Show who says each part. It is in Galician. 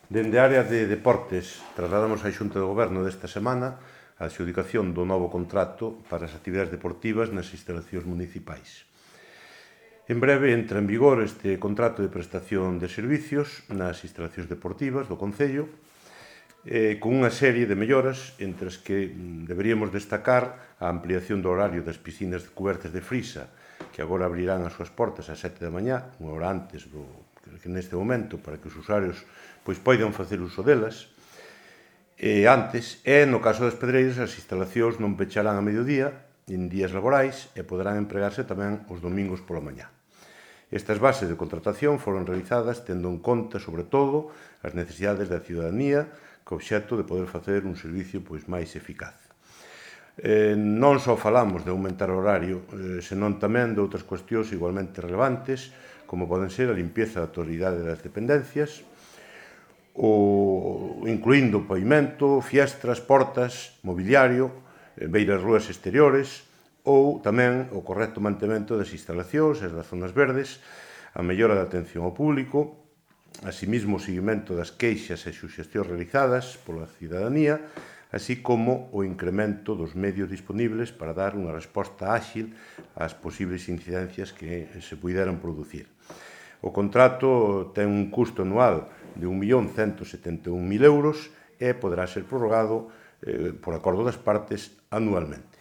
Speaker 1: Dende a área de deportes, trasladamos á Xunta de Goberno desta semana a adxudicación do novo contrato para as actividades deportivas nas instalacións municipais. En breve entra en vigor este contrato de prestación de servicios nas instalacións deportivas do Concello, con unha serie de melloras entre as que deberíamos destacar a ampliación do horario das piscinas cubertas de frisa, que agora abrirán as súas portas ás 7 da mañá, unha hora antes que neste momento, para que os usuarios poidan facer uso delas. Antes, no caso das pedreiras, as instalacións non pecharán a mediodía en días laborais e poderán empregarse tamén os domingos pola mañá. Estas bases de contratación foron realizadas tendo en conta, sobre todo, as necesidades da ciudadanía, co obxecto de poder facer un servicio máis eficaz. Non só falamos de aumentar o horario, senón tamén de outras cuestións igualmente relevantes, como poden ser a limpieza da totalidade das dependencias, incluindo pavimento, fiestras, portas, mobiliario, beiras rúas exteriores, ou tamén o correcto mantemento das instalacións e das zonas verdes, a mellora da atención ao público, asimismo o seguimento das queixas e suxestións realizadas pola cidadanía, así como o incremento dos medios disponibles para dar unha resposta áxil ás posibles incidencias que se puideran producir. O contrato ten un custo anual de 1.171.000 euros e poderá ser prorrogado por acordo das partes anualmente.